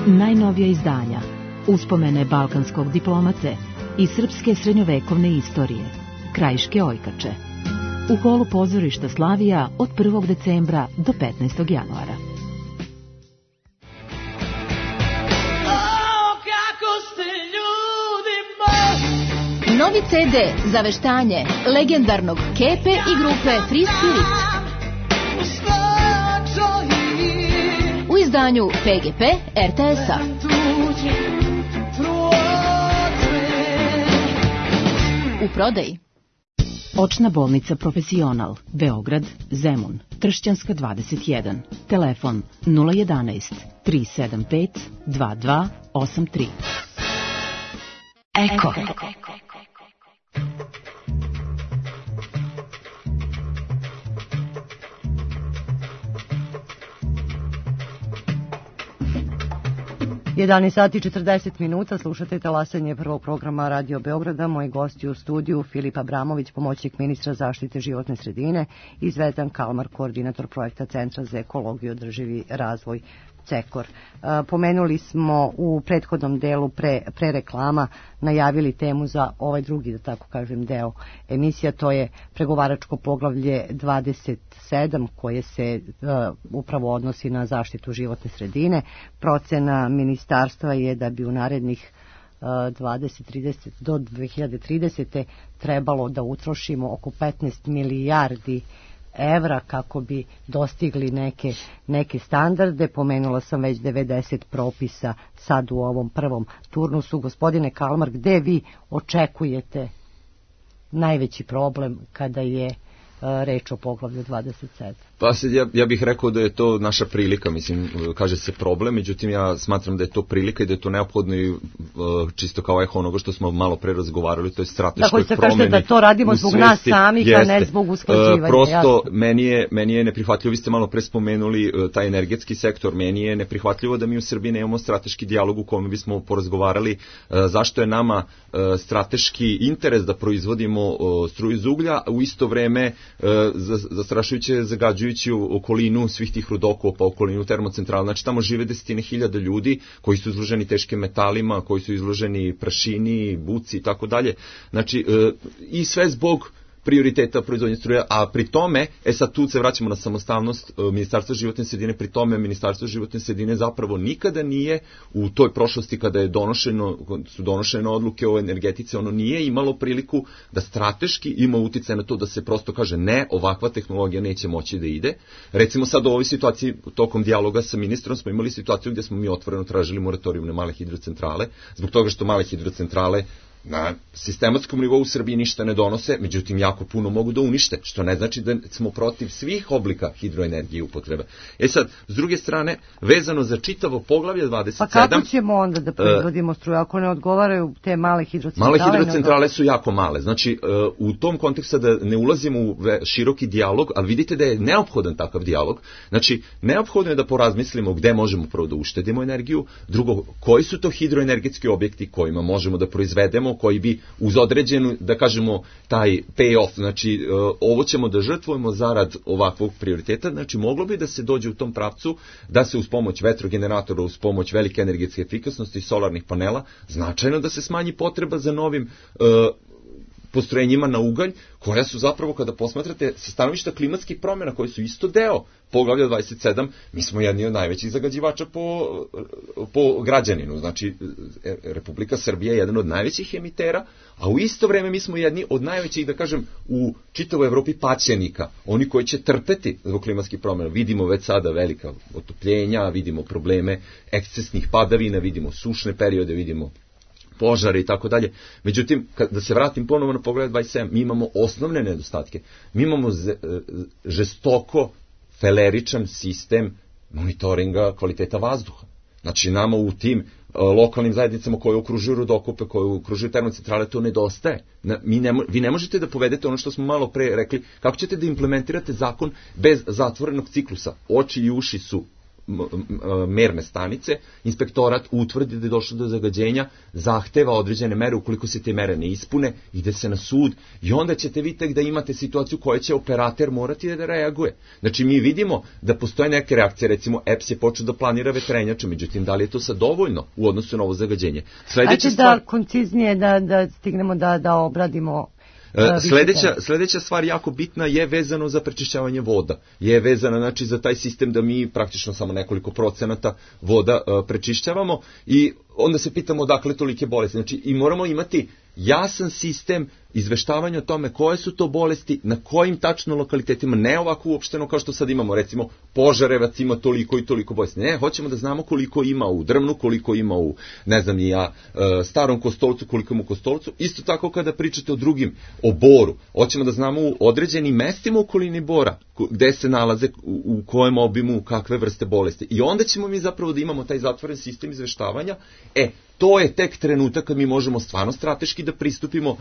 Najnovija izdanja, Uspomene balkanskog diplomate i srpske srednjovekovne istorije, Krajiške ojkače. U holu pozorišta Slavija od 1. decembra do 15. januara. Novi CD za veštanje legendarnog Kepe i grupe Free Spirit. U izdanju PGP RTS-a. U prodaji. Očna bolnica Profesional, Beograd, Zemun, Tršćanska 21, telefon 011 375 2283. Eko. 11 sati 40 minuta, slušate talasanje prvog programa Radio Beograda. Moji gosti u studiju Filip Abramović, pomoćnik ministra zaštite životne sredine, i Zvezdan Kalmar, koordinator projekta Centra za ekologiju i održivi razvoj CEKOR. Pomenuli smo u prethodnom delu pre reklama, najavili temu za ovaj drugi, da tako kažem, deo emisija, to je pregovaračko poglavlje 27 koje se upravo odnosi na zaštitu životne sredine. Procena ministarstva je da bi u narednih 2030 do 2030. trebalo da utrošimo oko 15 milijardi evra kako bi dostigli neke standarde. Pomenula sam već 90 propisa sad u ovom prvom turnusu. Gospodine Kalmar, gde vi očekujete najveći problem kada je reč o poglavlju 27? Pa ja bih rekao da je to naša prilika, mislim, kaže se problem, međutim ja smatram da je to prilika i da je to neophodno i čisto kao eho onoga što smo malo pre razgovarali, to je strateškoj promeni. Da, kažete da to radimo zbog nas samih, a ne zbog usklađivanja. Prosto, meni je neprihvatljivo, vi ste malo pre spomenuli taj energetski sektor, meni je neprihvatljivo da mi u Srbiji nemamo strateški dijalog u kome bismo porazgovarali zašto je nama strateški interes da proizvodimo struju iz uglja, a u isto vreme zastrašujuće zagađujući okolinu svih tih rudokova, pa okolinu termocentrala. Znači tamo žive desetine hiljada ljudi koji su izloženi teškim metalima, koji su izloženi prašini, buci i tako dalje. Znači i sve zbog prioriteta proizvodnje struje, a pri tome, sad tu se vraćamo na samostalnost Ministarstva životne sredine, pri tome Ministarstvo životne sredine zapravo nikada nije u toj prošlosti kada su donošene odluke o energetici, ono nije imalo priliku da strateški ima uticaj na to da se prosto kaže ne, ovakva tehnologija neće moći da ide. Recimo sad u ovoj situaciji, tokom dijaloga sa ministrom smo imali situaciju gdje smo mi otvoreno tražili moratorijum na male hidrocentrale, zbog toga što male hidrocentrale na sistematskom nivou u Srbiji ništa ne donose, međutim jako puno mogu da unište, što ne znači da smo protiv svih oblika hidroenergije upotrebe. Sad, s druge strane, vezano za čitavo poglavlje 27... Pa kako ćemo onda da proizvodimo struju ako ne odgovaraju te male hidrocentrale? Male hidrocentrale su jako male, znači u tom kontekstu da ne ulazimo u široki dijalog, ali vidite da je neophodan takav dijalog, znači neophodno je da porazmislimo gde možemo prvo da uštedimo energiju, drugo, koji su to hidroenergetski objekti kojima možemo da proizvedemo, koji bi uz određenu, da kažemo, taj pay-off, znači ovo ćemo da žrtvujemo zarad ovakvog prioriteta, znači moglo bi da se dođe u tom pravcu da se uz pomoć vetrogeneratora, uz pomoć velike energetske efikasnosti, solarnih panela, značajno da se smanji potreba za novim postrojenjima na ugalj, koja su zapravo, kada posmatrate sa stanovišta klimatskih promjena, koji su isto deo poglavlja 27, mi smo jedni od najvećih zagađivača po građaninu. Znači, Republika Srbija je jedan od najvećih emitera, a u isto vreme mi smo jedni od najvećih, da kažem, u čitavoj Evropi paćenika, oni koji će trpeti zbog klimatskih promjena. Vidimo već sada velika otopljenja, vidimo probleme ekscesnih padavina, vidimo sušne periode, vidimo požare i tako dalje. Međutim, da se vratim ponovo na pogled 27, mi imamo osnovne nedostatke. Mi imamo žestoko feleričan sistem monitoringa kvaliteta vazduha. Znači, nama u tim lokalnim zajednicama koje okružuju rudokope, koje okružuju termocentrale, to nedostaje. Vi ne možete da povedete ono što smo malo pre rekli, kako ćete da implementirate zakon bez zatvorenog ciklusa. Oči i uši su merne stanice, inspektorat utvrdi da je došlo do zagađenja, zahteva određene mere, ukoliko se te mere ne ispune, ide se na sud i onda ćete vi tek da imate situaciju koja će operater morati da reaguje. Znači mi vidimo da postoje neke reakcije, recimo EPS je počeo da planira vetrenjače, međutim da li je to sad dovoljno u odnosu na ovo zagađenje? Ajde da konciznije da stignemo da obradimo. Sljedeća stvar jako bitna je vezano za prečišćavanje voda. Je vezana, znači, za taj sistem da mi praktično samo nekoliko procenata voda prečišćavamo i onda se pitamo odakle tolike bolesti. Znači, i moramo imati jasan sistem izveštavanja o tome koje su to bolesti, na kojim tačno lokalitetima, ne ovako uopšteno kao što sad imamo, recimo Požarevac ima toliko i toliko bolesti. Ne, hoćemo da znamo koliko ima u Drvnu, koliko ima u, ne znam ni ja, Starom Kostolcu, koliko ima u Kostolcu. Isto tako kada pričate o drugim, o Boru, hoćemo da znamo u određenim mestima u okolini Bora, gde se nalaze, u kojem obimu, kakve vrste bolesti. I onda ćemo mi zapravo da imamo taj zatvoren sistem izveštavanja. To je tek trenutak kad mi možemo stvarno strateški da pristupimo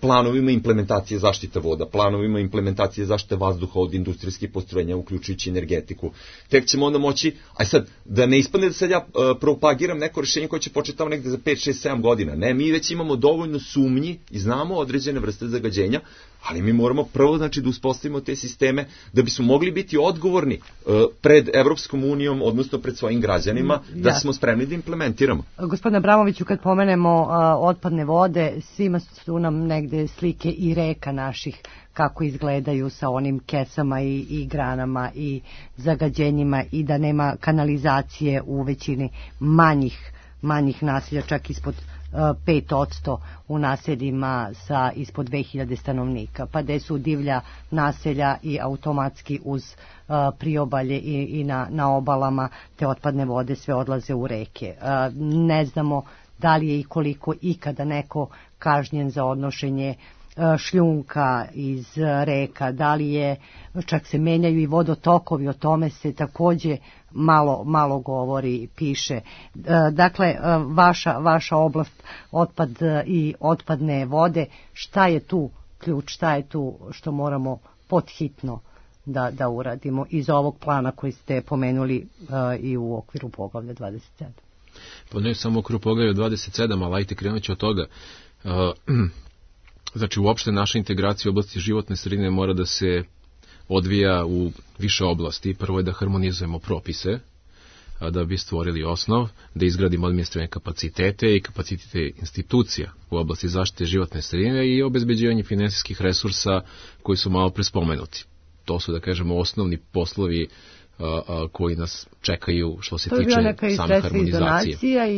planovima implementacije zaštite voda, planovima implementacije zaštite vazduha od industrijskih postrojenja, uključujući energetiku. Tek ćemo onda moći, sad, da ne ispadne da sad ja propagiram neko rešenje koje će početi tamo negde za 5, 6, 7 godina. Ne, mi već imamo dovoljno sumnji i znamo određene vrste zagađenja, ali mi moramo prvo, znači, da uspostavimo te sisteme da bismo mogli biti odgovorni pred Evropskom unijom, odnosno pred svojim građanima, da smo spremni da implementiramo. Gospodine Abramoviću, kad pomenemo otpadne vode, svima su nam negde slike i reka naših kako izgledaju sa onim kesama i granama i zagađenjima i da nema kanalizacije u većini manjih naselja, čak ispod 5% u naseljima sa ispod 2000 stanovnika, pa gde su divlja naselja i automatski uz priobalje i na obalama te otpadne vode sve odlaze u reke. Ne znamo da li je i koliko ikada neko kažnjen za odnošenje šljunka iz reka, da li je, čak se menjaju i vodotokovi, o tome se takođe malo govori, piše. Dakle, vaša oblast, otpad i otpadne vode, šta je tu ključ, šta je tu što moramo podhitno da uradimo iz ovog plana koji ste pomenuli i u okviru poglavlja 27? Pa ne samo u okviru poglavlja 27, ali ajte krenut ću od toga. Znači, uopšte naša integracija u oblasti životne sredine mora da se odvija u više oblasti. Prvo je da harmonizujemo propise, da bi stvorili osnov, da izgradimo administrativne kapacitete i kapacitete institucija u oblasti zaštite životne sredine i obezbeđivanje finansijskih resursa koji su malo prespomenuti. To su, da kažemo, osnovni poslovi koji nas čekaju što se tiče same harmonizacije.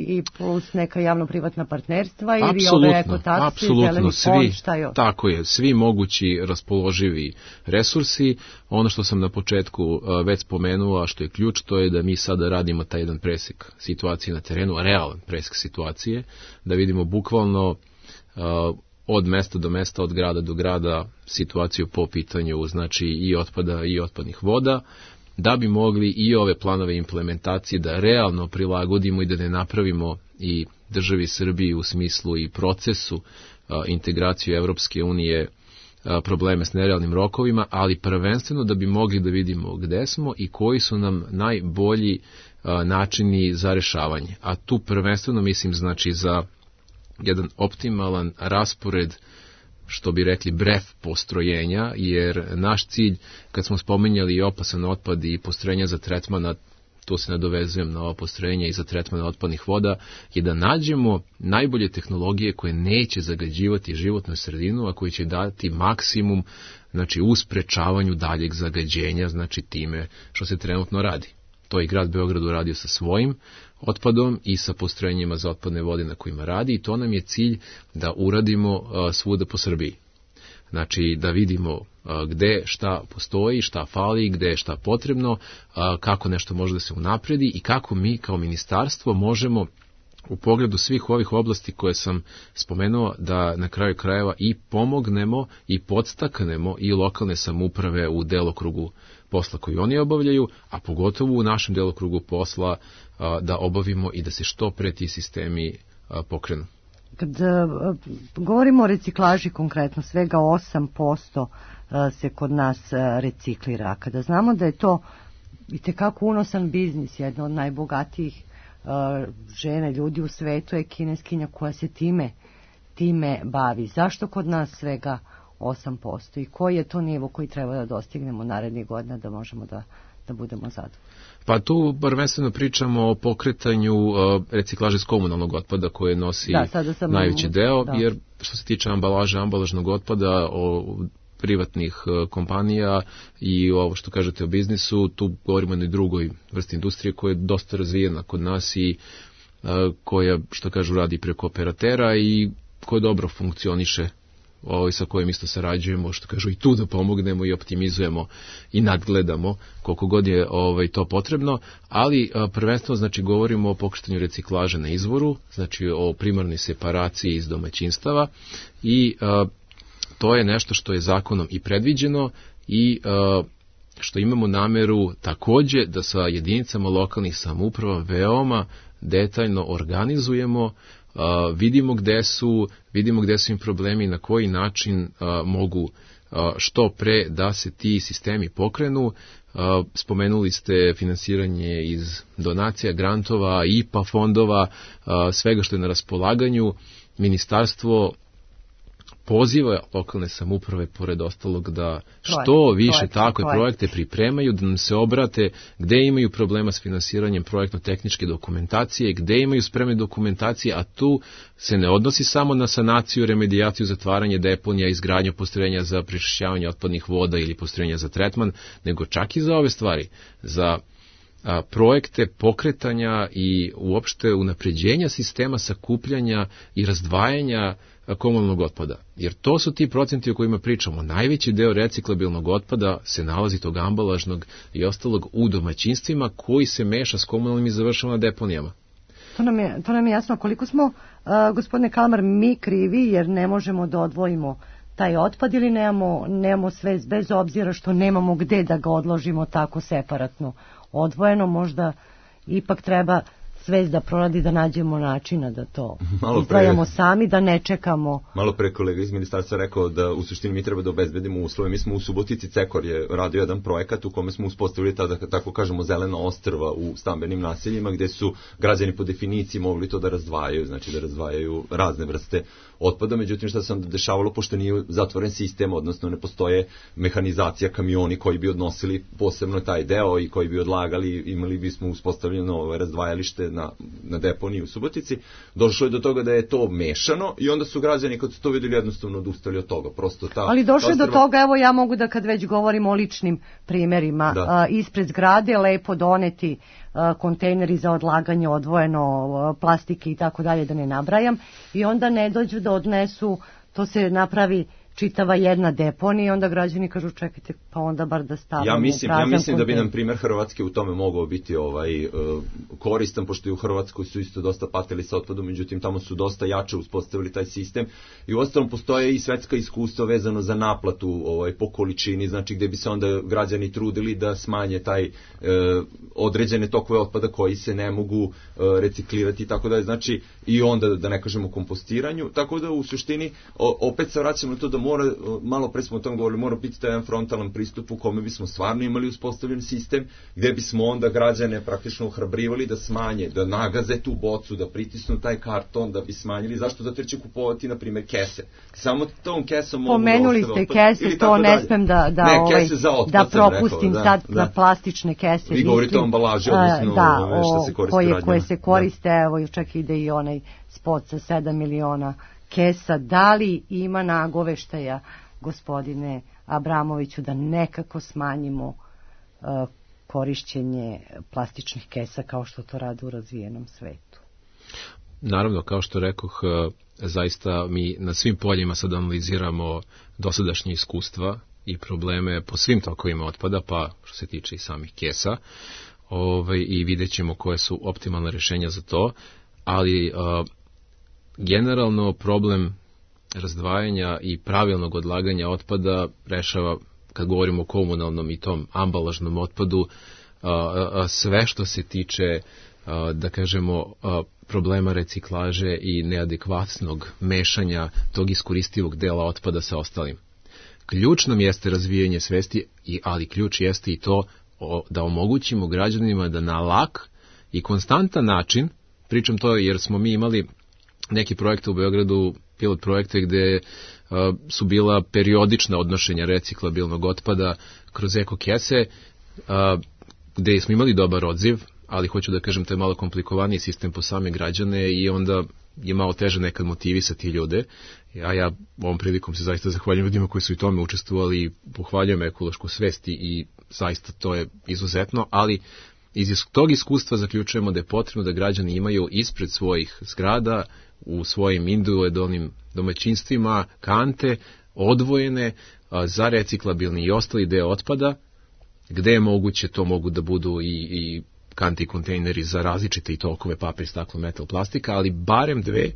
I plus neka javno-privatna partnerstva ili ove ekotacije, zeleni fond, šta je? Tako je, svi mogući raspoloživi resursi. Ono što sam na početku već spomenuo, a što je ključ, to je da mi sada radimo taj jedan presek situacije na terenu, realan presek situacije, da vidimo bukvalno od mesta do mesta, od grada do grada situaciju po pitanju, znači, i otpada i otpadnih voda, da bi mogli i ove planove implementacije da realno prilagodimo i da ne napravimo i državi Srbiji u smislu i procesu integraciju Evropske unije probleme s nerealnim rokovima, ali prvenstveno da bi mogli da vidimo gde smo i koji su nam najbolji načini za rešavanje. A tu prvenstveno mislim, znači, za jedan optimalan raspored, što bi rekli bref postrojenja, jer naš cilj, kad smo spominjali i opasan otpad i postrojenja za tretman, to se nadovezujem na ovo postrojenje i za tretman otpadnih voda, je da nađemo najbolje tehnologije koje neće zagađivati životnu sredinu, a koje će dati maksimum, znači, u sprečavanju daljeg zagađenja, znači time što se trenutno radi. To je grad Beograd uradio sa svojim otpadom i sa postrojenjima za otpadne vode na kojima radi, i to nam je cilj da uradimo svuda po Srbiji. Znači, da vidimo gde šta postoji, šta fali, gde je šta potrebno, kako nešto može da se unapredi i kako mi kao ministarstvo možemo u pogledu svih ovih oblasti koje sam spomenuo da na kraju krajeva i pomognemo i podstaknemo i lokalne samouprave u delokrugu posla koji oni obavljaju, a pogotovo u našem delokrugu posla da obavimo i da se što pre ti sistemi pokrenu. Kad govorimo o reciklaži konkretno, svega 8% se kod nas reciklira. Kada znamo da je to itekako unosan biznis, jedna od najbogatijih žene, ljudi u svetu je kineskinja koja se time bavi. Zašto kod nas svega 8% i koji je to nivo koji treba da dostignemo narednih godina da možemo da budemo zadovoljni? Pa tu prvenstveno pričamo o pokretanju reciklaže s komunalnog otpada koje nosi najveći deo, jer što se tiče ambalaže, ambalažnog otpada, o privatnih kompanija i ovo što kažete o biznisu, tu govorimo o jednoj drugoj vrsti industrije koja je dosta razvijena kod nas i koja, što kažu, radi preko operatera i ko dobro funkcioniše, sa kojim isto sarađujemo, što kažu i tu da pomognemo i optimizujemo i nadgledamo koliko god je to potrebno, ali prvenstveno znači govorimo o pokretanju reciklaže na izvoru, znači o primarnoj separaciji iz domaćinstava i to je nešto što je zakonom i predviđeno i što imamo nameru takođe da sa jedinicama lokalnih samouprava veoma detaljno organizujemo, vidimo gde su im problemi, na koji način mogu što pre da se ti sistemi pokrenu. Spomenuli ste finansiranje iz donacija, grantova, IPA fondova, svega što je na raspolaganju. Ministarstvo poziva lokalne samouprave, pored ostalog, da što više takve projekte pripremaju, da nam se obrate gde imaju problema s finansiranjem projektno-tehničke dokumentacije, gde imaju spremne dokumentacije, a tu se ne odnosi samo na sanaciju, remedijaciju, zatvaranje deponija, izgradnju postrojenja za prečišćavanje otpadnih voda ili postrojenja za tretman, nego čak i za ove stvari, za projekte pokretanja i uopšte unapređenja sistema sakupljanja i razdvajanja komunalnog otpada. Jer to su ti procenti o kojima pričamo. Najveći deo reciklabilnog otpada se nalazi tog ambalažnog i ostalog u domaćinstvima koji se meša s komunalnim i završava na deponijama. To nam je jasno. Koliko smo, gospodine Kalmar, mi krivi jer ne možemo da odvojimo taj otpad ili nemamo svest, bez obzira što nemamo gde da ga odložimo tako separatno odvojeno, možda ipak treba svest da proradi, da nađemo načina da to izdvajamo sami, da ne čekamo. Malo pre kolega iz ministarstva rekao da u suštini mi treba da obezbedimo uslove. Mi smo u Subotici, Cekor je radio jedan projekat u kome smo uspostavili tada, tako kažemo, zelena ostrva u stambenim naseljima, gde su građani po definiciji mogli to da razdvajaju, znači da razdvajaju razne vrste otpada. Međutim, šta se onda dešavalo, pošto nije zatvoren sistem, odnosno ne postoje mehanizacija, kamioni koji bi odnosili posebno taj deo i koji bi odlagali, imali bismo uspostavljeno razdvajalište na deponiji u Subotici, došlo je do toga da je to mešano i onda su građani kad su to vidjeli jednostavno odustali od toga. Ali došlo je do toga, evo ja mogu da kad već govorimo o ličnim primjerima, ispred zgrade lepo doneti kontejneri za odlaganje odvojeno, plastike i tako dalje, da ne nabrajam, i onda ne dođu da odnesu, to se napravi čitava jedna deponija i onda građani kažu čekajte, pa onda bar da stavimo ja mislim da bi nam primjer Hrvatske u tome mogao biti koristan, pošto i u Hrvatskoj su isto dosta patili sa otpadom, međutim tamo su dosta jače uspostavili taj sistem i uostalom postoje i svetska iskustva vezano za naplatu po količini, znači gde bi se onda građani trudili da smanje taj određene tokove otpada koji se ne mogu reciklirati i tako dalje, znači i onda da ne kažemo kompostiranju, tako da u suštini opet se vraćamo na to da mora, malo pre smo o tom govorili, mora biti taj jedan frontalan pristup u kome bismo stvarno imali uspostavljen sistem, gde bismo onda građane praktično ohrabrivali da smanje, da nagaze tu bocu, da pritisnu taj karton, da bi smanjili, zašto da treće kupovati, na primjer, kese. Samo tom kesom mogu pomenuli ste kese, to ne smem da propustim sad na plastične kese. Vi govorite o ambalaži, odnosno što se koriste građana. Koje se koriste, evo čak ide i onaj spot sa 7 miliona kesa. Da li ima nagoveštaja, gospodine Abramoviću, da nekako smanjimo korišćenje plastičnih kesa kao što to rade u razvijenom svetu? Naravno, kao što rekoh, zaista mi na svim poljima sad analiziramo dosadašnje iskustva i probleme po svim tokovima otpada, pa što se tiče i samih kesa, i vidjet ćemo koje su optimalne rješenja za to, ali generalno problem razdvajanja i pravilnog odlaganja otpada rešava, kad govorimo o komunalnom i tom ambalažnom otpadu, sve što se tiče, da kažemo, problema reciklaže i neadekvatnog mešanja tog iskoristivog dela otpada sa ostalim. Ključ nam jeste razvijanje svesti, ali ključ jeste i to da omogućimo građanima da na lak i konstantan način, pričam to jer smo mi imali neki projekte u Beogradu, pilot projekte gde su bila periodična odnošenja reciklabilnog otpada kroz eko kese, gde smo imali dobar odziv, ali hoću da kažem, to je malo komplikovaniji sistem po same građane i onda je malo teže nekad motivisati ljude. A ja ovom prilikom se zaista zahvaljujem ljudima koji su i tome učestvovali i pohvaljujem ekološku svest i zaista to je izuzetno, ali iz tog iskustva zaključujemo da je potrebno da građani imaju ispred svojih zgrada u svojim individualnim domaćinstvima kante odvojene za reciklabilni i ostali deo otpada, gde je moguće, to mogu da budu i kanti kontejneri za različite i tokove, papir, staklo, metal, plastika, ali barem dve,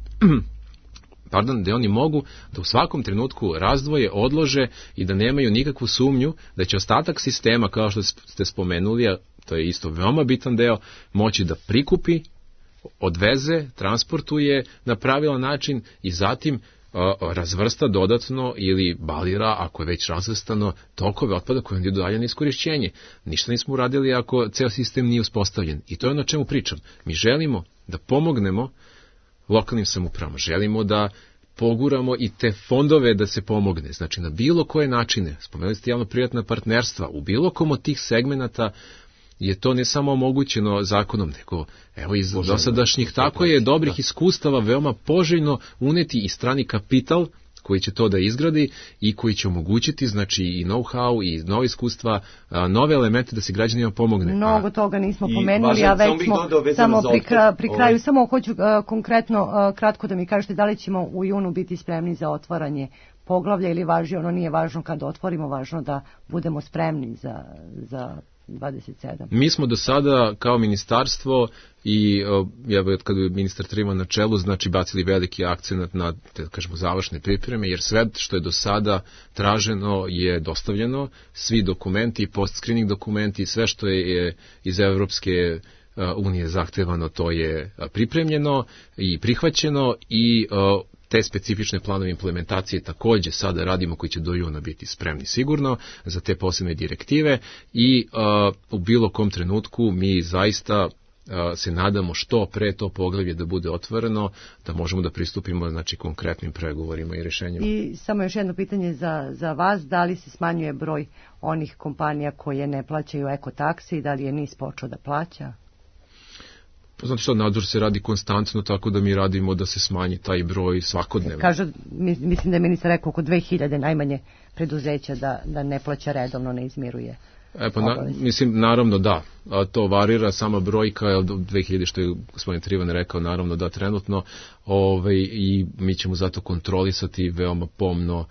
gde oni mogu da u svakom trenutku razdvoje, odlože i da nemaju nikakvu sumnju da će ostatak sistema, kao što ste spomenuli, a to je isto veoma bitan deo, moći da prikupi, odveze, transportuje na pravilan način i zatim razvrsta dodatno ili balira, ako je već razvrstano, tokove otpada koje je dalje na iskorišćenje. Ništa nismo uradili ako ceo sistem nije uspostavljen. I to je ono o čemu pričam. Mi želimo da pomognemo lokalnim samoupravama, želimo da poguramo i te fondove da se pomogne. Znači, na bilo koje načine, spomenuli ste javno-privatna partnerstva, u bilo kom od tih segmenata je to ne samo omogućeno zakonom, nego evo iz dosadašnjih, tako je, dobrih iskustava veoma poželjno uneti i strani kapital koji će to da izgradi i koji će omogućiti, znači, i know-how i nove iskustva, nove elemente da se građanima pomogne. Mnogo toga nismo pomenuli, a već smo samo pri kraju, samo hoću konkretno, kratko da mi kažete da li ćemo u junu biti spremni za otvaranje poglavlja ili važi, ono nije važno kada otvorimo, važno da budemo spremni za 27. Mi smo do sada kao ministarstvo i kad je ministar Trivan na čelu, znači bacili veliki akcenat na, da kažemo, završne pripreme, jer sve što je do sada traženo je dostavljeno, svi dokumenti, post-screening dokumenti, sve što je iz Evropske unije zahtevano, to je pripremljeno i prihvaćeno i te specifične planove implementacije takođe sada radimo, koji će do juna biti spremni sigurno za te posebne direktive i u bilo kom trenutku mi zaista se nadamo što pre to poglavlje da bude otvoreno, da možemo da pristupimo, znači, konkretnim pregovorima i rešenjima. I samo još jedno pitanje za vas, da li se smanjuje broj onih kompanija koje ne plaćaju ekotaksi i da li je NIS počeo da plaća? Znate što, nadzor se radi konstantno, tako da mi radimo da se smanji taj broj svakodnevno. Kaže, mislim da je ministar rekao oko 2000 najmanje preduzeća da ne plaća redovno, ne izmiruje. Mislim, naravno da, to varira, sama brojka je od 2000, što je gospodin Trivan rekao, naravno da trenutno, i mi ćemo zato kontrolisati veoma pomno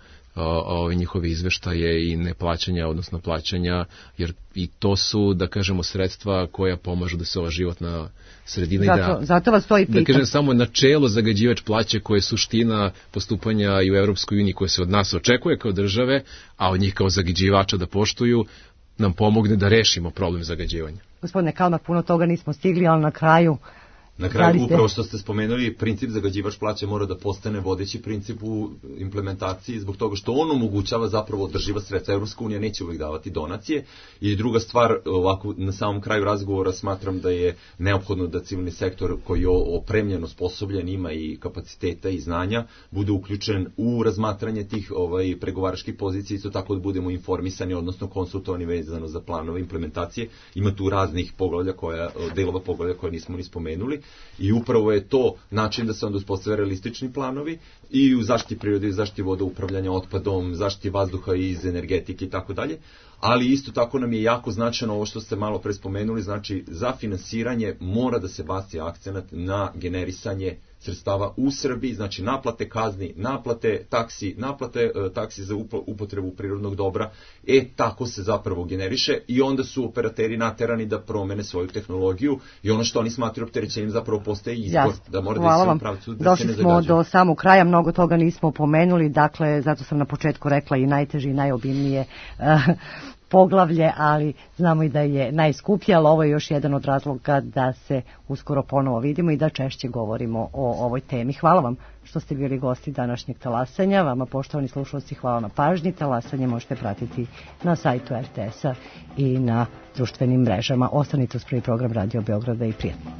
njihove izveštaje i neplaćanja, odnosno plaćanja, jer i to su, da kažemo, sredstva koja pomažu da se ova životna sredina zato vas to i pitam. Da kažem, samo načelo zagađivač plaće, koje je suština postupanja i u Evropskoj uniji, koje se od nas očekuje kao države, a od njih kao zagađivača da poštuju, nam pomogne da rešimo problem zagađivanja. Gospodine Kalmar, puno toga nismo stigli, ali na kraju, upravo što ste spomenuli, princip zagađivač plaća mora da postane vodeći princip u implementaciji, zbog toga što on omogućava zapravo održiva sredstva. Evropska unija neće uvijek davati donacije. I druga stvar, ovako na samom kraju razgovora smatram da je neophodno da civilni sektor, koji je opremljen, osposobljen, ima i kapaciteta i znanja, bude uključen u razmatranje tih pregovaračkih pozicija, isto tako da budemo informisani, odnosno konsultovani vezano za planove implementacije. Ima tu raznih delova poglavlja koje nismo ni spomenuli. I upravo je to način da se onda uspostave realistični planovi i u zaštiti prirode, zaštiti voda, upravljanja otpadom, zaštiti vazduha iz energetike i tako dalje. Ali isto tako nam je jako značajno ovo što ste malo pre spomenuli, znači za finansiranje mora da se baci akcenat na generisanje sredstava u Srbiji, znači naplate kazni, naplate taksi za upotrebu prirodnog dobra, tako se zapravo generiše i onda su operateri naterani da promene svoju tehnologiju i ono što oni smatraju opterećenjem zapravo postaje izbor, da mora da ide u pravcu da se ne zagađuje. Došli smo do samog kraja, mnogo toga nismo pomenuli, dakle, zato sam na početku rekla i najteže i najobimnije poglavlje, ali znamo i da je najskuplje, ali ovo je još jedan od razloga da se uskoro ponovo vidimo i da češće govorimo o ovoj temi. Hvala vam što ste bili gosti današnjeg talasanja. Vama, poštovani slušalci, hvala na pažnji. Talasanje možete pratiti na sajtu RTS-a i na društvenim mrežama. Ostanite uz prvi program Radio Beograda i prijatno.